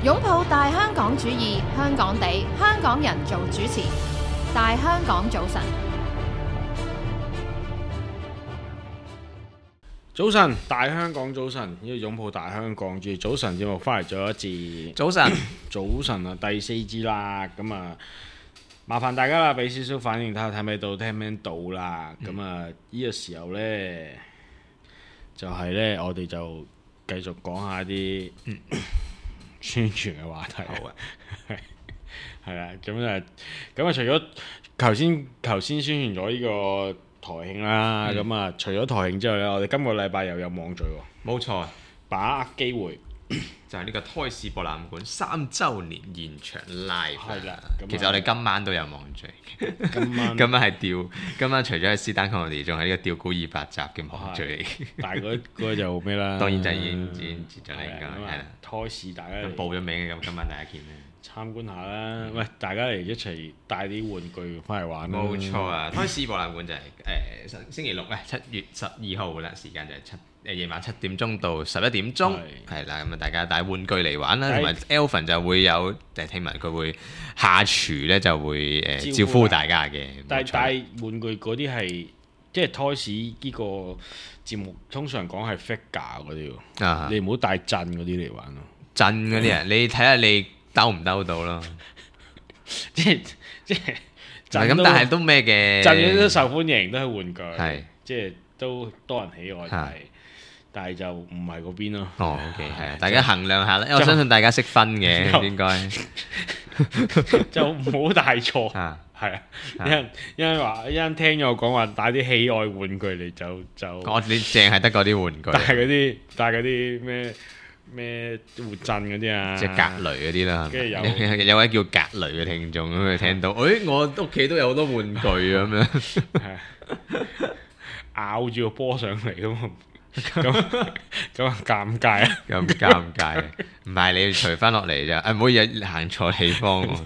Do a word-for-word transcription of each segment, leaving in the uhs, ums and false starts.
擁抱大香港主義，香港地，香港人做主持。大香港早晨，早晨，大香港早晨，呢個擁抱大香港主義早晨節目翻嚟咗一節。早晨，早晨啊，第四支啦，咁啊，麻煩大家啦，俾少少反應睇下睇唔睇到，聽唔聽到啦。咁啊，呢個時候呢，就係呢，我哋就繼續講下啲宣傳嘅話題。好啊，係啦，咁啊，咁啊，除咗頭先頭先宣傳咗呢個台慶啦，咁啊、嗯，除咗台慶之後呢，我哋今個禮拜又有網聚喎。冇錯，把握機會就係呢個胎視博覽館三週年現場 live。係啦，其實我哋今晚都有網聚。今晚今晚係吊，今晚除咗係斯丹康我哋，仲係呢個吊古二百集嘅網聚嚟。但係嗰嗰就咩啦？當然就已經已經接咗嚟㗎，係啦。胎視大家咁報咗名嘅，咁今晚大家見咧。參觀下啦，喂！大家嚟一齊帶啲玩具翻嚟玩啦。冇錯啊！胎視博覽館就係誒星星期六咧，七月十二號啦，時間就係七誒夜晚七點鐘到十一點鐘，係啦。咁啊，大家帶玩具嚟玩啦，同埋 Elvin 就會有誒聽聞佢會下廚咧，就會誒招呼大家嘅。但係帶玩具嗰啲係即係胎視呢個節目，通常講係 figure 嗰啲喎。啊！你唔好帶震嗰啲嚟玩咯。震嗰啲啊，你睇下你兜唔兜到咯？即係即係震咁，但係都咩嘅？震嗰啲都受歡迎，都係玩具，係即係都多人喜愛，但係但係就唔係嗰邊咯。哦，OK，係啊，大家衡量下啦，因為我相信大家識分嘅應該，就唔好帶錯。係啊，有人有人話，有人聽咗我講話帶啲喜愛玩具嚟就就，我你淨係得嗰啲玩具，帶嗰啲帶嗰啲咩？咩活震嗰啲啊，即係格雷嗰啲啦。跟住有有位叫格雷嘅聽眾咁，佢聽到，誒我屋企都有好多玩具咁樣，咬住個波上嚟咁啊，咁咁啊尷尬啊，咁尷尬。唔係你要除翻落嚟咋，誒唔好日行錯地方喎。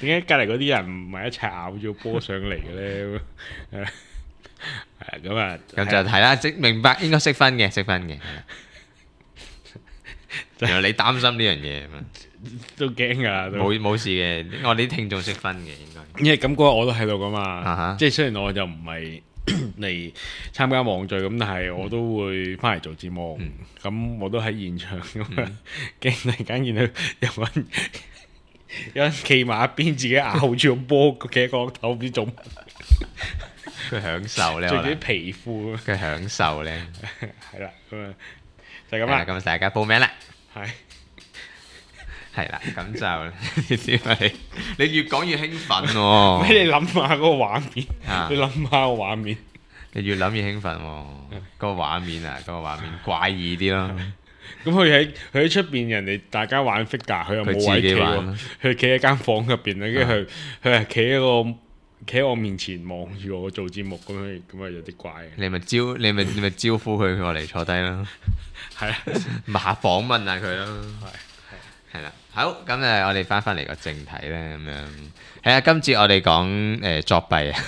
點解隔離嗰啲人唔係一齊咬住個波上嚟嘅咧？係啊，咁啊，咁就係啦，即明白應該識分嘅，識分嘅。原來你擔心呢樣嘢，都驚㗎，冇冇事嘅。我哋啲聽眾識分嘅應該。因為咁嗰日我都喺度㗎嘛， uh huh. 即係雖然我就唔係嚟參加網聚咁，但係我都會翻嚟做節目。咁、嗯、我都喺現場咁啊，驚突然間見到有人有人企埋一邊，自己咬住個波企喺個頭，唔知做乜。佢享受咧，著住啲皮褲。佢享受咧，係啦，咁啊就係咁啦。咁大家報名啦。係係啦，咁就點啊？你你越講越興奮喎。俾你諗下嗰個畫面，啊、你諗下個畫面，你越諗越興奮喎。嗰個畫面啊，嗰個畫面怪異啲咯。咁佢喺佢喺出邊，人哋大家玩 figure，佢又冇位企喎。佢企喺間房入邊咧，跟住佢佢係企喺個企喺我面前望住我做節目咁樣，咁啊有啲怪。你咪招你咪你咪招呼佢過嚟坐低咯。係啊，咪下訪問下佢咯。係係啦，好咁誒，我哋翻返嚟個正題咧，咁樣係啊。今次我哋講誒作弊啊，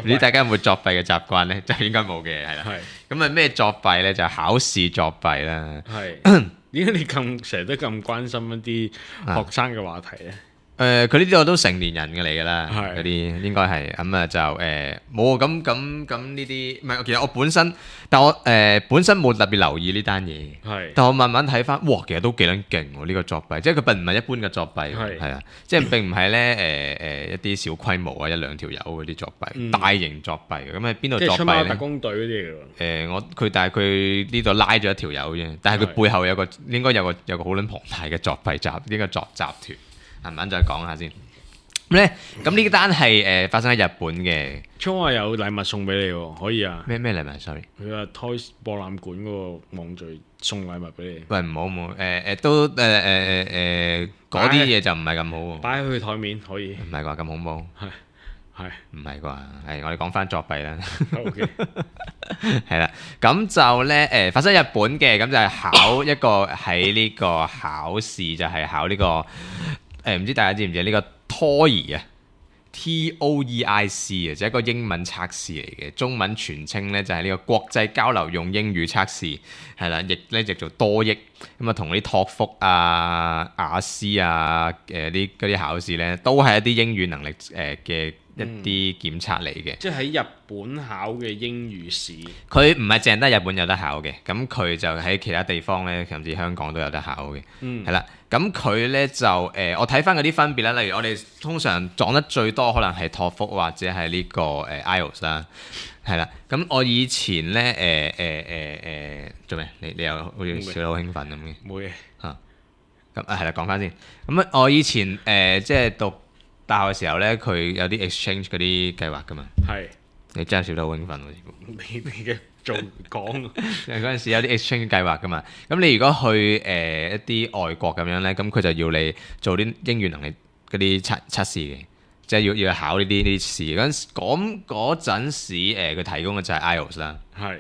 唔知大家有冇作弊嘅習慣咧？就應該冇嘅，係啦。咁啊咩作弊咧？就係考試作弊啦。係點解你咁成日都咁關心一啲學生嘅話題咧？誒佢呢啲我都成年人嘅嚟㗎啦，嗰啲應該係咁啊，就誒冇咁咁咁呢啲，唔係其實我本身，但我誒、呃、本身冇特別留意呢單嘢，係，但我慢慢睇翻，哇，其實都幾撚勁喎呢個作弊，即係佢並唔係一般嘅作弊，係係啊，即係並唔係咧誒誒一啲小規模啊一兩條友嗰啲作弊，嗯、大型作弊咁喺邊度作弊咧？即係出貓特工隊嗰啲嚟㗎。誒、呃、我佢但係佢呢度拉咗一條友啫，但係佢背後有個應該有個有個好撚龐大嘅作弊集呢個作集團。慢慢再講下先。咁咧，咁呢單係誒發生喺日本嘅。聰話有禮物送俾你喎，可以啊？咩咩禮物 ？sorry，佢話 Toys 博覽館嗰個網聚送禮物俾你。喂，唔好唔好，誒誒都誒誒誒誒嗰啲嘢就唔係咁好喎。擺喺佢台面可以。唔係啩？咁恐怖？係係唔係啩？係我哋講翻作弊啦。OK。係啦，咁就咧誒發生日本嘅，咁就係考一個喺呢個考試就係考呢個。誒唔知大家知唔知呢個 T O E I 啊 T O E I C 啊，就係一個英文測試嚟嘅，中文全稱咧就係呢個國際交流用英語測試，係啦，譯咧譯做多益，咁啊同啲托福啊、雅思啊、誒啲嗰啲考試咧，都係一啲英語能力誒嘅一啲檢測嚟嘅。即係喺日本考嘅英語試，佢唔係淨得日本有得考嘅，咁佢就喺其他地方咧，甚至香港都有得考嘅，係啦、嗯。咁佢咧就誒、呃，我睇翻嗰啲分別啦。例如我哋通常撞得最多可能係托福或者係呢、這個誒、呃、I E L T S 啦，係啦。咁我以前咧誒誒誒誒做咩？你你又好似笑得好興奮咁嘅？冇嘢嚇。咁啊係啦，講翻先。咁啊，我以前誒、呃、即係讀大學嘅時候咧，佢有啲 exchange 嗰啲計劃噶嘛。係是。你真係笑得好興奮喎！你你嘅做講嗰陣時有啲 exchange 計劃噶嘛，咁你如果去誒、呃、一啲外國咁樣咧，咁佢就要你做啲英語能力嗰啲測測試嘅，即係要要考呢啲呢啲試。嗰陣嗰陣時誒佢、呃、提供嘅就係 I E L T S 啦，係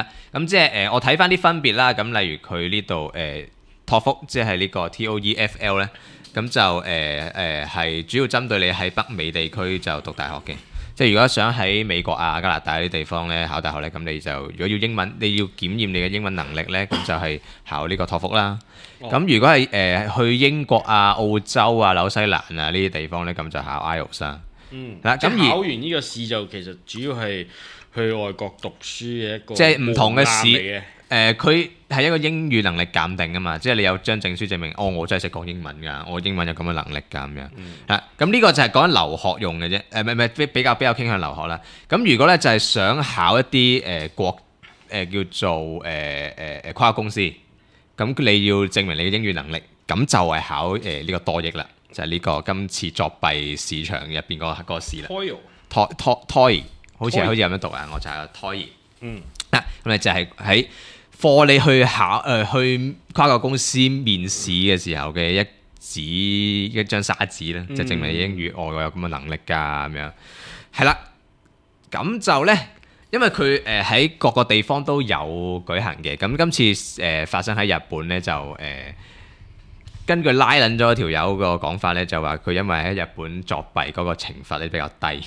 啊，咁即係誒、呃、我睇翻啲分別啦。咁例如佢呢度誒托福即係呢個 T O E F L 咧，咁就誒誒係主要針對你喺北美地區就讀大學嘅。即係如果想喺美國啊、加拿大啲地方咧考大學咧，咁你就如果要英文，你要檢驗你嘅英文能力咧，咁就係考呢個托福啦。咁、哦、如果係誒、呃、去英國啊、澳洲啊、紐西蘭啊呢啲地方咧，咁就考 I E L T S 啦。嗯，嗱咁而考完呢個試就其實主要係去外國讀書嘅一個即係唔同嘅試。誒佢係一個英語能力鑑定啊嘛，即係你有張證書證明，哦我真係識講英文㗎，我英文有咁嘅能力㗎咁樣。啊，咁呢、嗯、個就係講緊留學用嘅啫，誒唔係唔係比較比較傾向留學啦。咁如果咧就係、是、想考一啲誒、呃、國誒、呃、叫做誒誒誒跨國公司，咁你要證明你嘅英語能力，咁就係考誒呢、呃這個多益啦，就係、是、呢個今次作弊市場入邊嗰個試啦。Toy Toy Toy 好似係好似咁樣讀啊，我就係 Toy。嗯。啊，咁你就係喺課你去考誒、呃、去跨國公司面試嘅時候嘅一紙一張沙紙咧，嗯、就證明你英語我、哦、有咁嘅能力㗎咁樣，係啦，咁就咧，因為佢誒喺各個地方都有舉行嘅，咁今次誒、呃、發生喺日本咧就誒、呃、根據拉撚咗條友個講法咧，就話佢因為喺日本作弊嗰個懲罰咧比較低，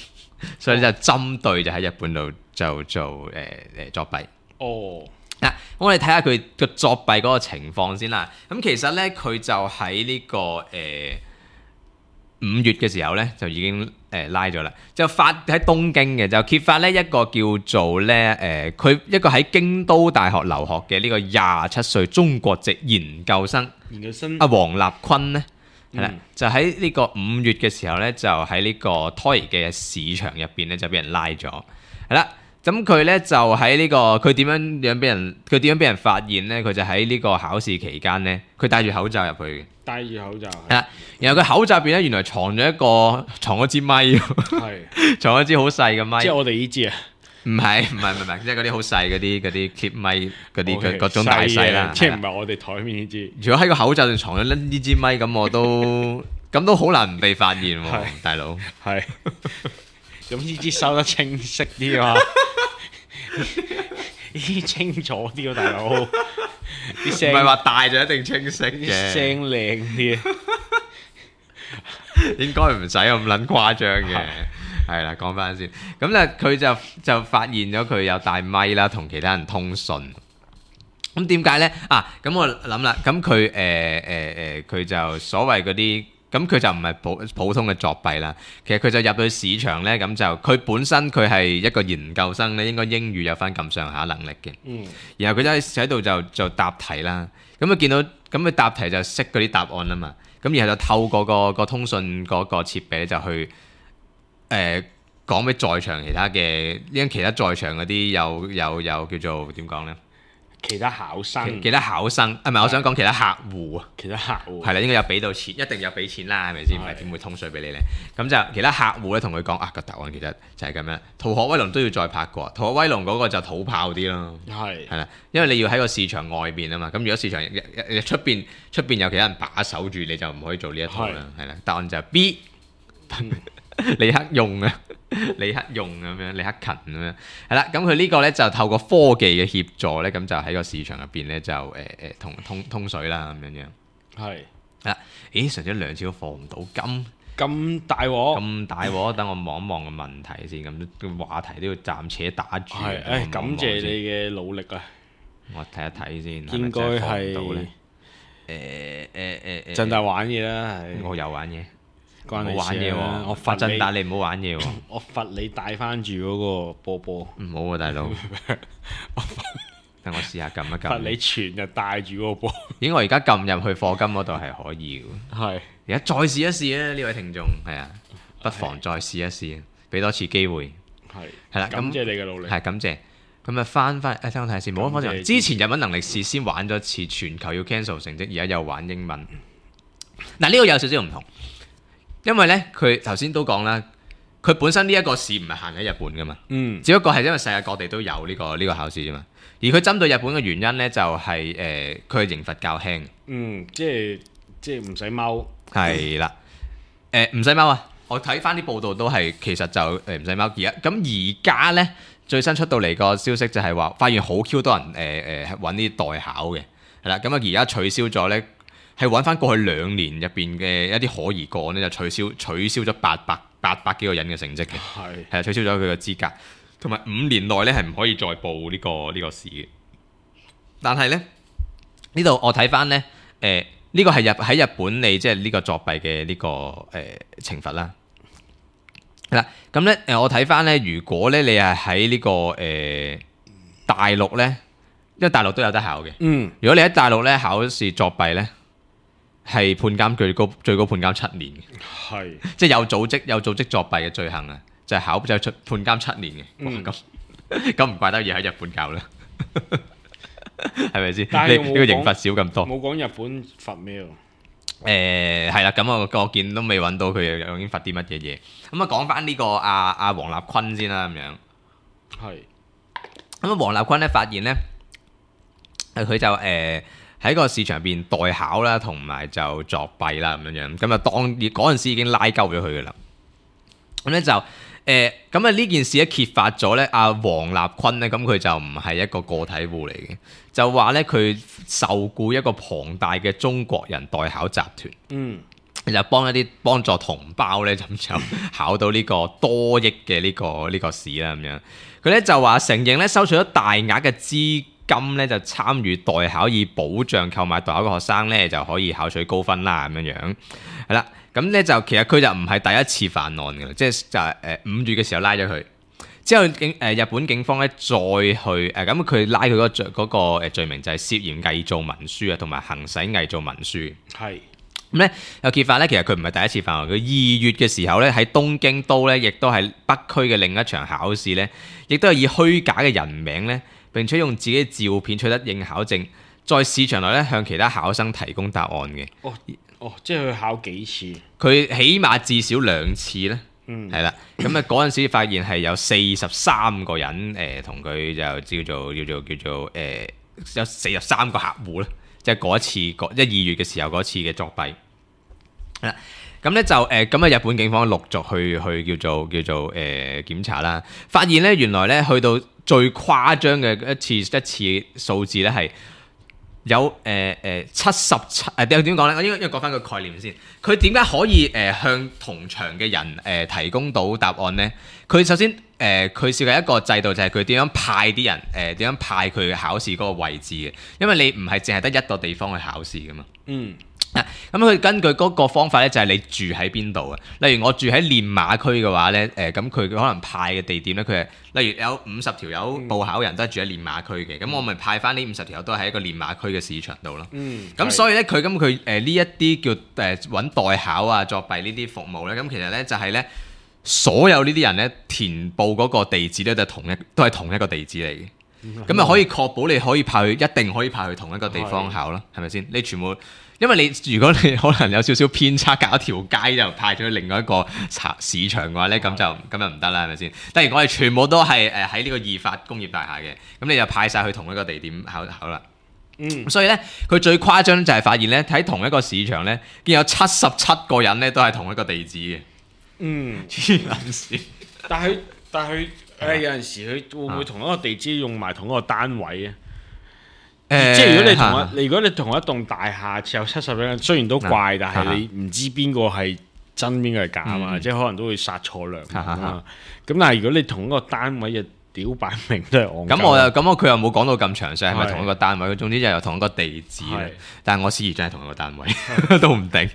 所以就針對就喺日本度就做誒誒、呃、作弊。哦。嗱、啊，我哋睇下佢個作弊嗰個情況先啦。咁其實咧，佢就喺呢、這個誒五、呃、月嘅時候咧，就已經誒、呃、拉咗啦。就發喺東京嘅，就揭發咧一個叫做咧誒，佢、呃、一個喺京都大學留學嘅呢個廿七歲中國籍研究生，研究生阿黃立坤咧，係啦、嗯，就喺呢個五月嘅時候咧，就喺呢個 Toy 嘅市場入邊咧，就俾人拉咗，係啦。咁佢咧就喺呢、這個佢點樣樣俾人佢點樣俾人發現咧？佢就喺呢個考試期間咧，佢戴住口罩入去嘅。戴住口罩。係啦，然後佢口罩入邊咧，原來藏咗一個藏咗支咪，係是藏咗支好細嘅咪。即係我哋呢支啊？唔係唔係唔係，即係嗰啲好細嗰啲嗰啲 clip 咪嗰啲嘅各種大細啦。即係唔係我哋台面呢支？如果喺個口罩度藏咗呢支咪，咁我都咁都好難唔被發現喎，是大佬。係。咁呢支收得清晰啲啊！呢啲清楚啲喎，大佬。啲聲唔係話大就一定清晰嘅，聲靚啲。應該唔使咁撚誇張嘅。係啦，講翻先。咁咧，佢就就發現咗佢有帶咪啦，同其他人通訊。咁點解咧？啊，咁我諗啦，咁佢誒誒誒，佢就所謂嗰啲。咁佢就唔係普普通嘅作弊啦，其實佢就入到市場咧，咁就佢本身佢係一個研究生咧，應該英語有翻咁上下能力嘅。嗯。然後佢就喺度就就答題啦，咁佢見到咁佢答題就識嗰啲答案啊嘛，咁然後就透過個個通訊嗰個設備就去誒講俾在場其他嘅，因其他在場嗰啲有有有叫做點講咧？其他考生，其他考生，啊唔係，我想講其他客戶啊，其他客戶係啦，應該有俾到錢，一定有俾錢啦，係咪先？唔係點會通水俾你咧？咁就其他客戶咧，同佢講啊個答案其實就係咁樣。逃學威龍都要再拍過，逃學威龍嗰個就土炮啲咯，係係啦，因為你要喺個市場外邊啊嘛。咁如果市場出邊出邊有其他人把守住，你就唔可以做呢一套啦，係啦。答案就係 B，李克用啊。李克用咁樣，李克勤咁樣，係啦。咁佢呢個咧就透過科技嘅協助咧，咁就喺個市場入邊咧就誒誒同通通水啦咁樣樣。係啊，咦，上咗兩次都放唔到金，咁大鑊，咁大鑊，等我望一望個問題先，咁個話題都要暫且打住。係，誒感謝你嘅努力啊！我睇一睇先，應該係誒誒誒誒，振達玩嘢啦，係我有玩嘢，關你唔好玩嘢喎！我阿罰你，振達你唔好玩嘢喎！我罰你帶翻住嗰個波波，唔好啊，大佬，等我試下撳一罰你撳。全日帶住嗰個波，咦，我而家撳入去課金嗰度係可以嘅。係而家再試一試啊！呢位聽眾係啊，不妨再試一試，俾多次機會。係係啦，感咁謝你嘅努力，係感謝。咁啊，翻翻誒，聽我睇下先。冇方感謝之前日文能力試先玩咗一次全球要 cancel 成績，而家又玩英文。嗱，呢個有少少唔同，因為呢，佢頭先都講啦，佢本身呢一個試唔係限喺日本噶嘛，嗯只不過係因為世界各地都有呢個呢個考試啫嘛。而佢針對日本嘅原因呢，就係誒佢嘅刑罰較輕。嗯，即係即係唔使踎，係啦，誒唔使踎啊！我睇翻啲報道都係其實就誒唔使踎。而家咁而家呢，最新出到嚟個消息就係話，發現好 Q 多人誒誒揾啲代考嘅，係啦。咁啊而家取消咗呢，係揾翻過去兩年入邊嘅一啲可疑個案呢，就取消取消咗八百八百幾個人嘅成績嘅，係係啊取消咗佢嘅資格，同埋五年內呢係唔可以再報呢、個呢、個試嘅。但係呢，呢度我睇翻呢。誒、呢個係日喺日本你即係呢個作弊嘅呢、個誒、呃、懲罰啦。係啦，咁咧誒我睇翻咧，如果咧你係喺呢個誒、呃大陸咧，因為大陸都有得考嘅。嗯如果你喺大陸咧考試作弊咧，係判監最高最高判監七年嘅，係即係有組織有組織作弊嘅罪行啊，就係、考就出判監七年嘅。哇嗯咁咁唔怪得要喺日本教啦，係咪先？但係冇呢呢個刑講罰少咁多。冇講日本罰咩喎？誒係啦，咁我我見都未揾到佢究竟罰啲乜嘢嘢。咁啊講翻呢個阿阿黃立坤先啦，咁樣。係咁啊黃立坤咧發現咧，誒佢就誒喺個市場入邊代考啦，同埋就作弊啦咁樣樣。咁啊當嗰陣時已經拉鳩咗佢噶啦。咁咧就誒咁啊呢件事咧揭發咗咧，阿黃立坤咧咁佢就唔係一個個體戶嚟嘅，就話咧佢受僱一個龐大嘅中國人代考集團。嗯就幫一啲幫助同胞咧，咁就考到呢個多億嘅呢、個呢、個試啦咁樣。佢咧就話承認咧收取咗大額嘅資金咧，就參與代考以保障購買代考嘅學生咧就可以考取高分啦咁樣樣。係啦，咁咧就其實佢就唔係第一次犯案嘅啦，即係就係誒五月嘅時候拉咗佢。之後警誒、呃、日本警方咧再去誒咁佢拉佢嗰個罪嗰、個誒罪名就係涉嫌偽造文書啊，同埋行使偽造文書。係咁咧有揭發咧，其實佢唔係第一次犯案。佢二月嘅時候咧，喺東京都咧，亦都係北區嘅另一場考試咧，亦都係以虛假嘅人名咧，並且用自己嘅照片取得應考證，在市場內咧向其他考生提供答案嘅。哦哦，即係佢考幾次？佢起碼至少兩次咧，嗯係啦。咁啊嗰陣時發現係有四十三個人誒同佢就叫做叫做叫做誒、呃、有四十三個客戶咧，即係嗰一次嗰一二月嘅時候嗰次嘅作弊。啦，咁咧就誒咁啊！日本警方陸續去去叫做叫做誒、呃、檢查啦，發現咧原來咧去到最誇張嘅一次一次數字咧係有誒誒七十七誒點點講咧？我應該應該講翻個概念先。佢點解可以誒、呃、向同場嘅人誒、呃、提供到答案咧？佢首先誒佢設計一個制度，就係佢點樣派啲人誒點、呃、樣派佢嘅考試嗰個位置嘅，因為你唔係淨係得一個地方去考試噶嘛。嗯。咁佢根據嗰個方法咧，就係你住喺邊度啊？例如我住喺練馬區嘅話咧，誒咁佢可能派嘅地點咧，佢係例如有五十條友報考人都係住喺練馬區嘅，咁、嗯、我咪派翻呢五十條友都喺一個練馬區嘅市場度咯。嗯，咁所以咧，佢咁佢誒呢一啲叫誒揾代考啊、作弊呢啲服務咧，咁其實咧就係咧所有呢啲人咧填報嗰個地址咧就同一都係同一個地址嚟嘅，咁啊、嗯、可以確保你可以派去一定可以派去同一個地方考咯，係咪先？你全部。因為你如果你可能有少少偏差，隔一條街就派咗去另外一個市場嘅話咧，咁就咁就唔得啦，係咪先？但係我哋全部都係誒喺呢個義發工業大廈嘅，咁你就派晒去同一個地點考考啦。嗯，所以咧，佢最誇張就係發現咧，喺同一個市場咧，見有七十七個人咧都係同一個地址嘅。嗯，黐撚線。但係但係誒有陣時佢會唔會同一個地址用埋同一個單位啊？即係如果你同一，如果你同一棟大廈有七十幾人，雖然都怪，但係你唔知邊個係真邊個係假啊嘛，嗯即係可能都會殺錯良民啊哈哈嘛。咁但係如果你同一個單位嘅屌擺明都係戇鳩，咁我又咁我佢又冇講到咁詳細係咪係同一個單位，佢總之就有同一個地址係咧。但係我思疑真係同一個單位都唔定。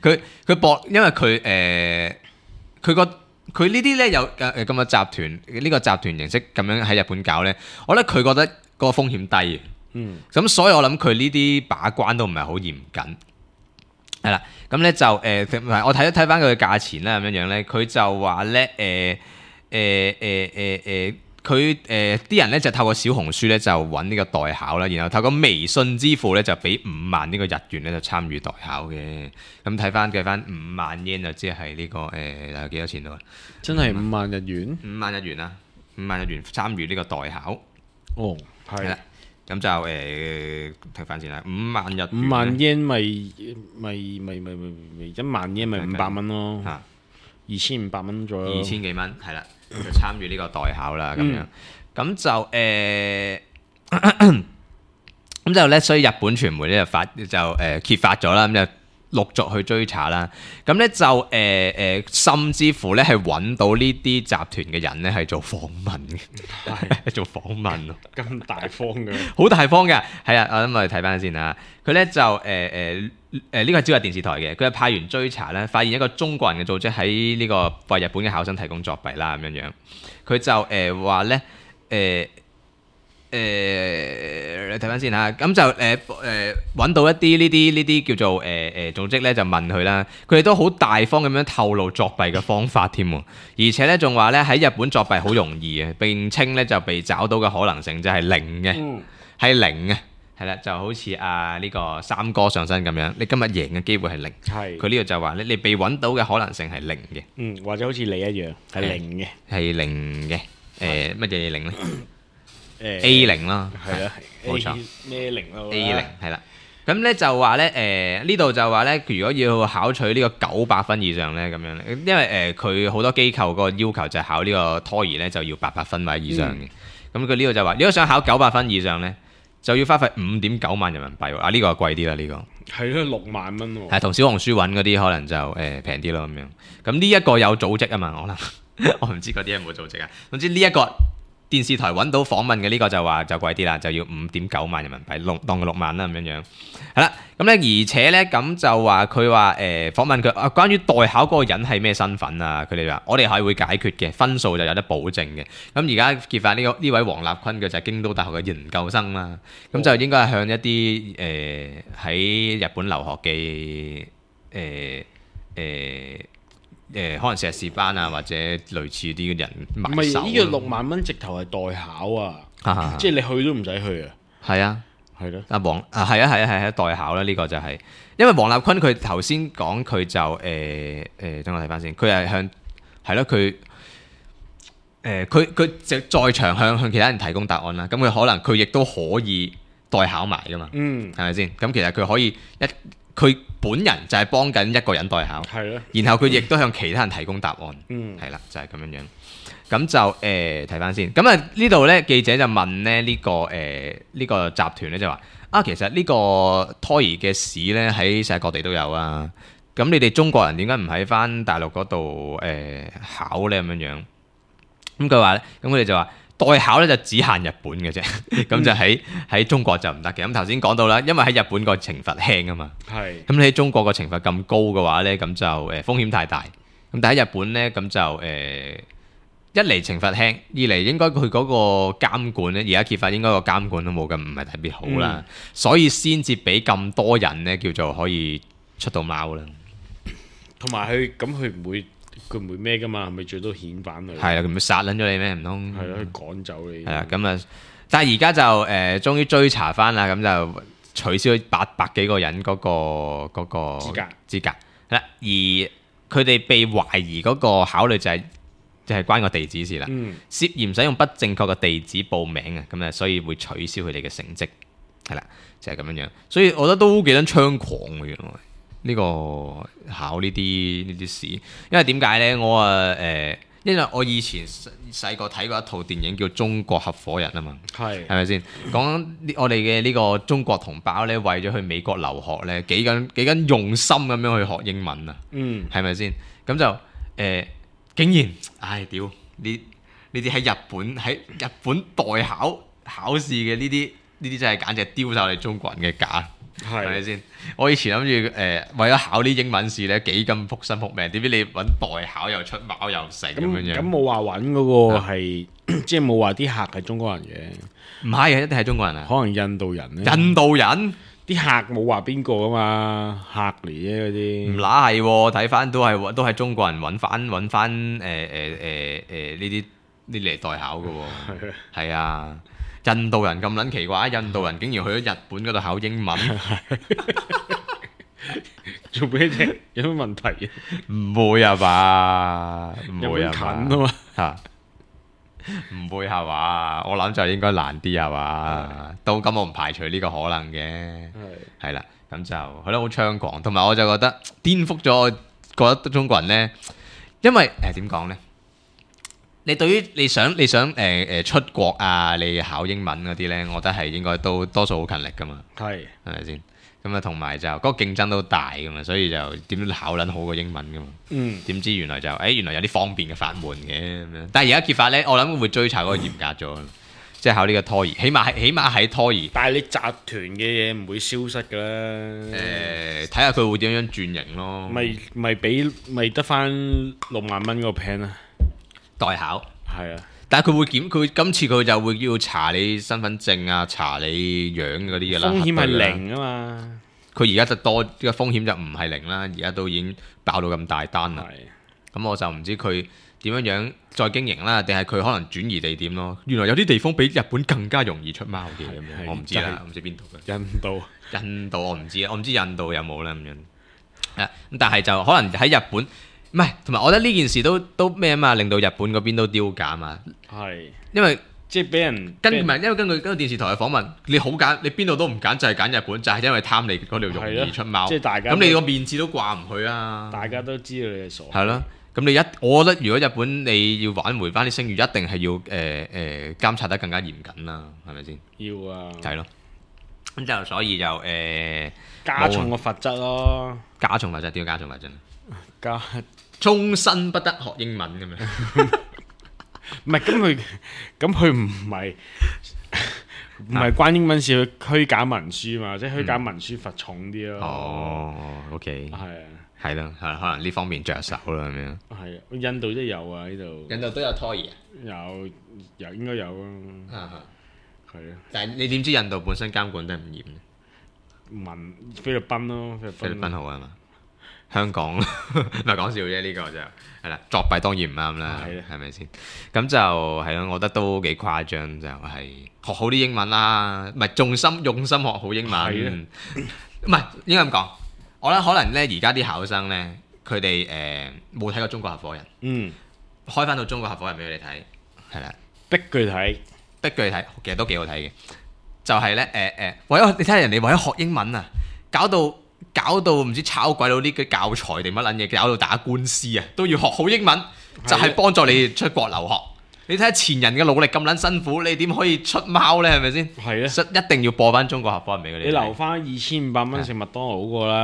佢佢博，因為佢誒佢個佢呢啲咧有誒咁嘅集團呢個集團形式咁樣喺日本搞咧，我覺得佢覺得個風險低嘅。嗯咁所以我諗佢呢啲把關都唔係好嚴謹。係啦，咁咧就誒，唔、呃、係我睇一睇翻佢嘅價錢啦，咁樣樣咧，佢就話咧誒誒誒誒誒，佢誒啲人咧就透過小紅書咧就揾呢個代考啦，然後透過微信支付咧就俾五萬呢個日元咧就參與代考嘅。咁睇翻計翻五萬 yen 就即係呢個誒有幾多錢到啊？真係五萬日元。五萬日元啊，五萬日元參與呢個代考。哦，係係啦。咁就誒睇翻先啦，五萬日元五萬 yen 咪咪咪咪咪咪一萬 yen 咪五百蚊咯，嚇二千五百蚊左右。二千幾蚊係啦，就參與呢個代考啦咁樣。咁就誒咁就咧，所以日本傳媒咧就發就誒揭發咗啦，咁就陸續去追查啦。咁咧就誒誒，甚至乎咧係揾到呢啲集團嘅人咧係做訪問嘅，係做訪問咯。咁大方嘅，好大方嘅，係啊，我諗我哋睇翻先啊。佢咧就誒誒誒呢個係朝日電視台嘅，佢係派員追查咧，發現一個中國人嘅組織喺呢個為日本嘅考生提供作弊啦咁樣樣。佢就誒話咧誒誒，你睇翻先嚇，咁就誒誒揾到一啲呢啲呢啲叫做誒誒、呃、組織咧，就問佢啦，佢哋都好大方咁樣透露作弊嘅方法添喎，而且咧仲話咧喺日本作弊好容易嘅，並稱咧就被找到嘅可能性就係零嘅，係、嗯、零嘅，係啦，就好似啊呢個三哥上身咁樣，你今日贏嘅機會係零，係佢呢度就話咧你被揾到嘅可能性係零嘅，嗯，或者好似你一樣係零嘅，係零嘅，誒乜嘢零咧？誒 A 零啦，係啦，冇錯咩零咯 A 零係啦，咁咧就話咧誒呢度就話咧，如果要考取呢個九百分以上咧咁樣咧，因為誒佢好多機構個要求就係考呢個托兒咧就要八百分或者以上嘅，咁佢呢度就話如果想考九百分以上咧，就要花費五點九萬人民幣喎，啊呢、呢個貴啲啦呢個，係咯六萬蚊喎，係同小紅書揾嗰啲可能就誒平啲咯咁樣，咁呢一個有組織啊嘛，可能我唔知嗰啲有冇組織啊，總之呢一個。電視台揾到訪問嘅呢個就話就貴啲啦，就要五點九萬人民幣，六當佢六萬啦咁樣樣。係啦，咁咧而且咧咁就話佢話誒訪問佢啊，關於代考嗰個人係咩身份啊？佢哋話我哋係會解決嘅，分數就有得保證嘅。咁而家揭發呢個呢位黃立坤嘅就係京都大學嘅研究生啦，咁就應該係向一啲誒喺日本留學嘅誒誒。誒、呃、可能碩士班啊，或者類似啲嘅人買手。唔係呢個六萬蚊直頭係代考啊，啊即係你去都唔使去啊。係啊，係咯。阿黃啊，係啊，係啊，係啊，代考啦，呢、這個就係、是、因為黃立坤佢頭先講佢就誒誒，等我睇翻先，佢係向係咯，佢誒佢佢就在場向向其他人提供答案啦。咁佢可能佢亦都可以代考埋噶嘛。嗯，係咪先？咁其實佢可以一。佢本人就係幫緊一個人代考，然後佢亦都向其他人提供答案，係啦、嗯，就係、是、咁樣樣。咁就誒睇翻先。咁啊呢度咧記者就問咧呢、這個誒呢、呃這個集團咧就話啊，其實呢個胎兒嘅試咧喺世界各地都有啊。咁你哋中國人點解唔喺翻大陸嗰度誒考咧咁樣樣？咁佢話咧，咁佢哋就話。代考咧就只限日本嘅啫，咁就喺喺中國就唔得嘅。咁頭先講到啦，因為喺日本個懲罰輕啊嘛，係。咁你喺中國個懲罰咁高嘅話咧，咁就誒風險太大。咁但喺日本咧，咁就誒、呃、一嚟懲罰輕，二嚟應該佢嗰個監管咧，而家揭發應該個監管都冇咁唔係特別好啦，嗯、所以先至俾咁多人咧叫做可以出到貓啦。同埋佢咁佢唔會。佢唔會咩噶嘛，係咪最多遣返佢？係啊，佢唔會殺撚咗你咩？唔通？係咯，佢趕走你。係啊，咁啊，但係而家就誒、呃，終於追查翻啦，咁就取消咗八百幾個人嗰、嗰個嗰、嗰個資格資格。係啦，而佢哋被懷疑嗰個考慮就係、係、就係、係、關個地址事啦。嗯、涉嫌使用不正確嘅地址報名啊，咁啊，所以會取消佢哋嘅成績。係啦，就係、係、咁樣樣。所以我覺得都幾撚猖狂嘅原來。呢、這個考呢啲呢啲試，因為點解呢？我啊誒、呃，因為我以前細個睇過一套電影叫《中國合夥人》啊嘛，係係咪先？講我哋嘅呢個中國同胞呢，為咗去美國留學呢，幾緊幾緊用心咁樣去學英文啊，嗯，係咪先？咁就誒、呃，竟然，唉屌！呢呢啲喺日本喺日本代考考試嘅呢啲呢啲真係簡直丟晒我哋中國人嘅架。係咪先？我以前諗住誒為咗考啲英文試咧幾咁撲身撲命，點知你揾代考又出貓又成咁樣樣。咁冇話揾嗰個係，即係冇話啲客係中國人嘅。唔係啊，一定係中國人啊。可能印度人咧。印度人啲客冇話邊個啊嘛，客嚟啫嗰啲。唔乸係喎，睇翻都係都係中國人揾翻揾翻誒誒誒誒呢啲呢嚟代考嘅喎。係啊。印度人咁撚奇怪，印度人竟然去咗日本嗰度考英文，做咩啫？有咩問題？唔會啊吧？唔會啊近啊嘛嚇，唔會係嘛？我諗就應該難啲係嘛？都咁我唔排除呢個可能嘅，係啦，咁就係咯，好猖狂，同埋我就覺得顛覆咗我覺得中國人呢，因為誒點講呢？你對於你想你想誒誒、呃、出國啊，你考英文嗰啲呢，我覺得係應該都多數好勤力噶嘛，係係咪先？咁啊，同埋就嗰、嗰個競爭都大噶嘛，所以就點考撚好過英文噶嘛。嗯。點知原來就誒、欸、原來有啲方便嘅法門嘅咁樣，但係而家揭發呢，我諗會追查嗰個嚴格咗，即係考呢個托兒，起碼係起碼喺托兒。但係你集團嘅嘢唔會消失㗎啦。誒，睇下佢會點樣轉型咯。咪咪俾咪得翻六萬蚊嗰個 plan 啊！代考係啊，但係佢會檢，佢今次佢就會要查你身份證啊，查你樣嗰啲嘅啦。風險係零啊嘛，佢而家就多，呢個風險就唔係零啦，而家都已經爆到咁大單啦。咁我就唔知佢點樣樣再經營啦，定係佢可能轉移地點咯。原來有啲地方比日本更加容易出貓嘅咁樣，我唔知啦，我唔知邊度嘅。印度，印度我唔知，我唔知印度有冇啦咁樣。啊，咁但係就可能喺日本。唔係，同埋我覺得呢件事都都咩啊嘛，令到日本嗰邊都丟架啊嘛。係，因為即係俾人跟唔係，因為根據根據電視台嘅訪問，你好揀，你邊度都唔揀，就係揀日本，就係因為貪你嗰條容易出貓。即係大家咁你個面子都掛唔去啊！大家都知道你係傻。係咯，咁你一，我覺得如果日本你要挽回翻啲聲譽，一定係要誒誒監察得更加嚴謹啦，係咪先？要啊。係咯。咁就所以就誒加重個罰則咯。加重罰則，點解加重罰則？加。終身不得學英文咁樣，唔係咁佢，咁佢唔係唔係關英文事，佢虛假文書嘛，即係虛假文書罰重啲咯。哦 ，OK，係啊，係咯，係可能呢方面着手啦咁樣。係啊，印度都有啊呢度。印度都有拖兒啊？有，有應該有啊。係啊。但係你點知印度本身監管得唔嚴咧？問菲律賓咯，菲律賓好啊嘛。香港唔係講笑啫，呢、這個就係啦，作弊當然唔啱啦，係咪先？咁就係咯，我覺得都幾誇張，就係、是、學好啲英文啦，唔係重心用心學好英文，唔係應該咁講。我覺得可能咧，而家啲考生咧，佢哋誒冇睇過中國合夥人，嗯，開翻到中國合夥人俾佢哋睇，係啦，逼佢睇，逼佢睇，其實都幾好睇嘅。就係咧誒誒，為咗你睇下人哋為咗學英文啊，搞到〜搞到唔知炒鬼到呢個教材定乜撚嘢，搞到打官司啊，都要學好英文，就係幫助你出國留學。你睇下前人嘅努力咁撚辛苦，你點可以出貓呢？係咪先？係啊，一定要播翻中國合夥人俾佢哋。你留翻二千五百蚊食麥當勞好過啦。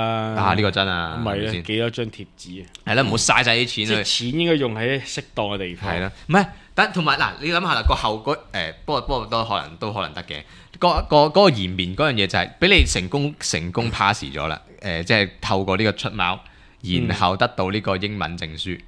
啊，呢個真啊，唔係啊，幾多張貼紙啊？係啦，唔好嘥晒啲錢。即係錢應該用喺適當嘅地方。係啦，唔係，但同埋嗱，你諗下啦，個後嗰誒，不過不過都可能都可能得嘅。個個嗰個延綿嗰樣嘢就係俾你成功成功 pass 咗啦。誒、呃，即係透過呢個出貓，然後得到呢個英文證書，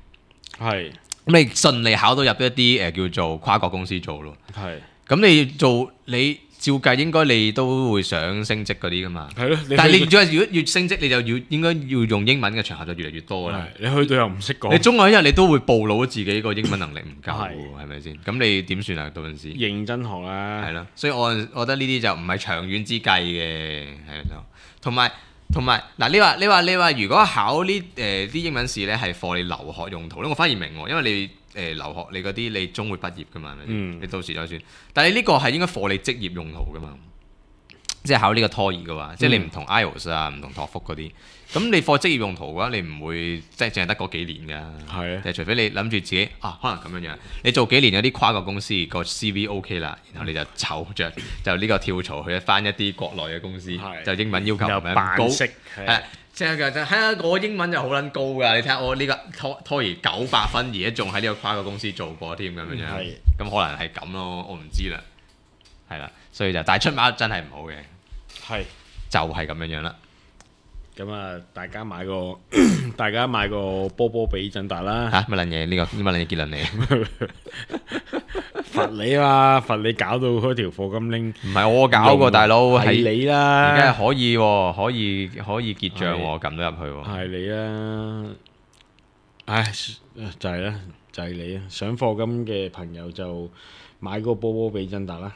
係咁、嗯、你順利考到入一啲誒、呃、叫做跨國公司做咯，係咁你做你照計應該你都會想升職嗰啲噶嘛，係咯，但係你如果如果越升職，你就要應該要用英文嘅場合就越嚟越多啦。你去到又唔識講，你終有一日你都會暴露自己個英文能力唔夠，係咪先？咁你點算啊？到陣時認真學啦，係咯。所以我我覺得呢啲就唔係長遠之計嘅，係咯，同埋。同埋嗱，你話你話你話，如果考呢誒啲英文試咧係課你留學用途咧，我反而明喎，因為你誒、呃、留學你嗰啲你終會畢業噶嘛，嗯、你到時再算。但係你呢個係應該課你職業用途噶嘛，即係考呢個托兒嘅話，即係你唔同 I E L T S 啊，唔同托福嗰啲。咁你課職業用途嘅話，你唔會即係淨係得嗰幾年㗎。係啊，誒，除非你諗住自己啊，可能咁樣樣，你做幾年有啲跨國公司個 C V OK 啦，然後你就湊着就呢個跳槽去翻一啲國內嘅公司，就英文要求咁樣高，係即係就係啊！我英文就好撚高㗎，你睇下我呢個拖拖兒九百分，而家仲喺呢個跨國公司做過添咁樣樣，咁可能係咁咯，我唔知啦，係啦，所以就但係出貓真係唔好嘅，係就係咁樣樣啦。咁啊，大家買個大家買個波波俾振達啦嚇乜撚嘢？呢個乜撚嘢結論嚟？罰你啊！罰你搞到嗰條課金拎，唔係我搞過大佬，係你啦。而家係可以喎，可以可以結帳喎，撳到入去喎。係你啦。唉，就係啦，就係你啊！想課金嘅朋友就買個波波俾振達啦。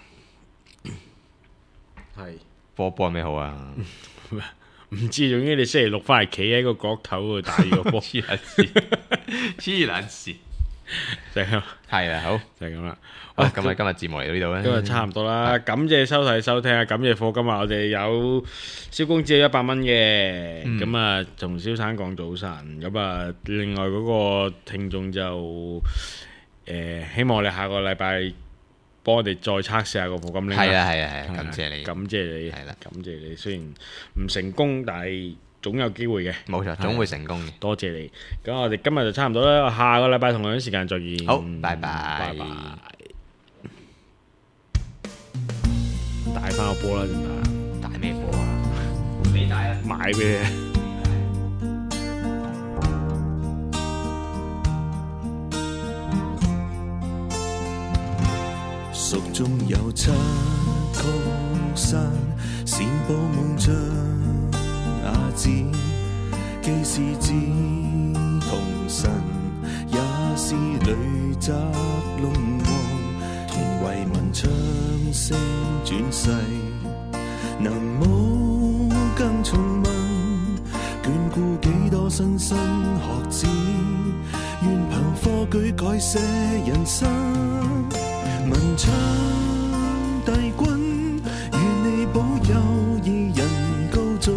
係波波有咩好啊？唔知，總之你星期六翻嚟企喺個角頭度打個波，黐撚線，黐撚線，就係咁。係啊，好就係咁啦。好，咁啊，今日節目嚟到呢度咧，今日差唔多啦。感謝收睇收聽啊！感謝課金啊！我哋有蕭公子有一百蚊嘅，咁啊同蕭生講早晨。咁啊，另外嗰個聽眾就誒，希望我哋下個禮拜幫我哋再測試下個課金拎。係啊係啊係啊，感謝你，感謝你，係啦，感謝你。雖然唔成功，但係總有機會嘅。冇錯，總會成功嘅。多謝你。咁我哋今日就差唔多啦，下個禮拜同樣時間再見。好，拜拜，拜拜。帶翻個波啦，點帶？帶咩波啊？你帶啊？買俾你。蜀中有七曲山，善報夢像啞子，既是志同神，也是女宅龍王，同為民唱聲轉世，能冇更重問，眷顧幾多莘莘學子，願憑科舉改寫人生。文昌帝君，願你保佑二人高中，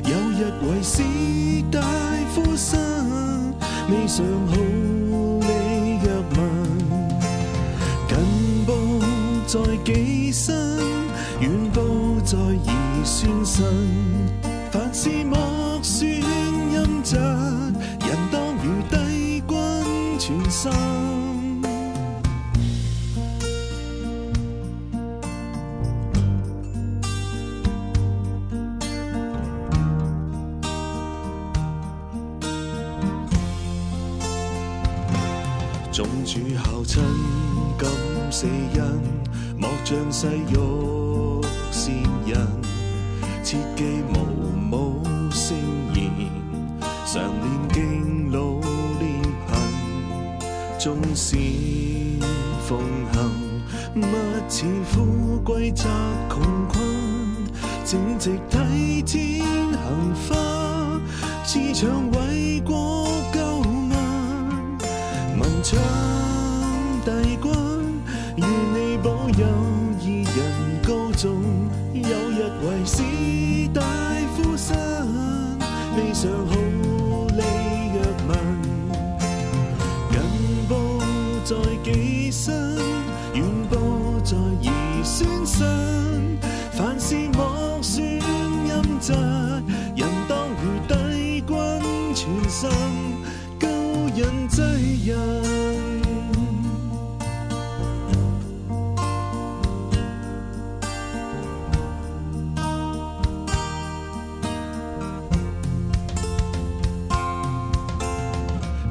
有日為士大夫生，未嘗好理若問。近報在己身，遠報在兒孫身，凡事莫算陰質，人當如帝君全心。眾主孝親感四恩，莫像世欲善人，切記無母聲言，常念經老練貧，縱使奉行，勿似富貴宅窮困，正直體天行花，志長為國救民。文昌帝君，願你保佑二人高中，有日為士大夫生，未嘗好理若問。近報在己身，遠報在兒孫身，凡事莫算陰質，人當如帝君全心。人濟人，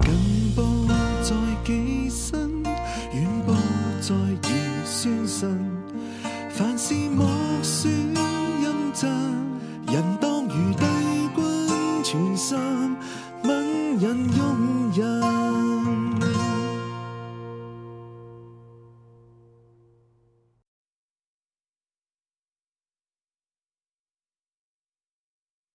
近報在己身，遠報在兒孫身，凡事莫算陰質，人當如帝君全心，問人用人。